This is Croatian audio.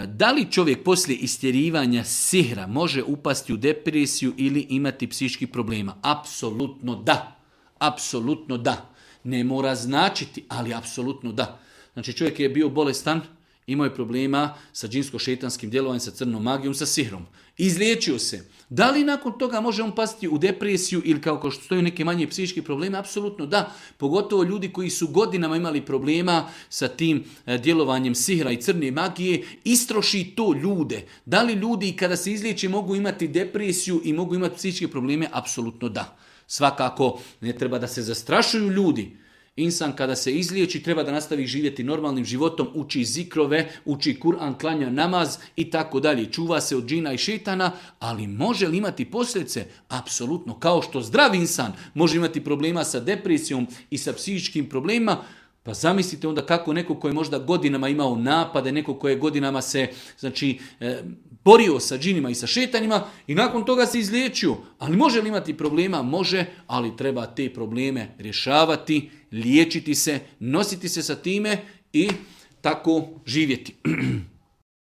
Da li čovjek poslije istjerivanja sihra može upasti u depresiju ili imati psihičkih problema? Apsolutno da. Apsolutno da. Ne mora značiti, ali apsolutno da. Znači čovjek je bio bolestan, imao je problema sa džinsko-šejtanskim djelovanjem, sa crnom magijom, sa sihrom. Izliječio se. Da li nakon toga može on pasti u depresiju ili kao što stoju neke manje psihičke probleme? Apsolutno da. Pogotovo ljudi koji su godinama imali problema sa tim djelovanjem sihra i crne magije, istroši to ljude. Da li ljudi kada se izliječe mogu imati depresiju i mogu imati psihičke probleme? Apsolutno da. Svakako ne treba da se zastrašuju ljudi. Insan kada se izliječi treba da nastavi živjeti normalnim životom, uči zikrove, uči Kur'an, klanja namaz i tako dalje. Čuva se od džina i šejtana, ali može li imati posljedice? Apsolutno. Kao što zdrav insan može imati problema sa depresijom i sa psihičkim problemima, pa zamislite onda kako neko koji je možda godinama imao napade, neko koji je godinama se borio sa džinima i sa šetanima i nakon toga se izliječio. Ali može li imati problema? Može, ali treba te probleme rješavati, liječiti se, nositi se sa time i tako živjeti.